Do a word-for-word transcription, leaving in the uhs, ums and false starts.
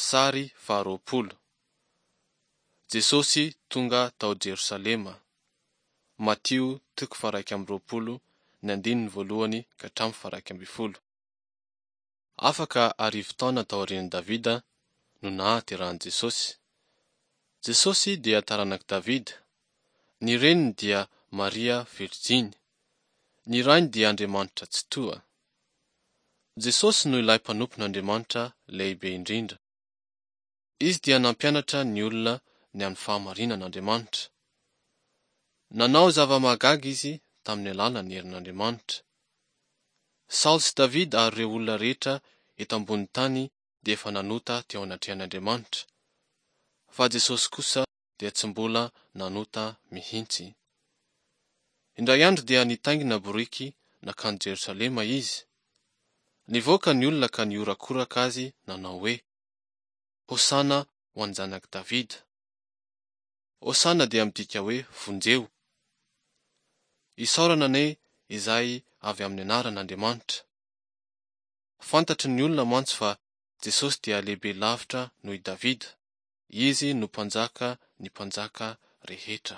Sary faharoapolo. Jesosy tonga tao Jerosalema. Matio toko faha-iraika amby roapolo ny andininy voalohany ka hatramin'ny faha-iraika ambin'ny folo. Afaka arivo taona taorian'i Davida no nahaterahan'i Jesosy. Jesosy dia taranak'i Davida. Ny reniny dia Maria Virjiny. Ny rainy dia Andriamanitra Tsitoha. Jesosy no ilay mpanompon'Andriamanitra lehibe indrindra. Izy dia nampianatra ny olona ny amin'ny fahamarinan'Andriamanitra. Nanao zava-mahagaga izy tamin'ny alalan'ny herin'Andriamanitra. Saoly sy Davida ary ireo olona rehetra eto ambonin'ny tany dia efa nanota teo anatrehan'Andriamanitra. Fa Jesosy kosa dia tsy mbola nanota mihitsy. Indray andro dia nitaingina boriky nankany Jerosalema izy. Nivoaka ny olona ka nihorakoraka azy nanao hoe: Hosana ho an'ny zanak'i Davida. Hosana dia midika hoe vonjeo. Isaorana anie izay avy amin'ny anaran'Andriamanitra. Fantatry ny olona mantsy fa Jesosy dia lehibe lavitra noho i Davida. Izy no mpanjaka ny mpanjaka rehetra.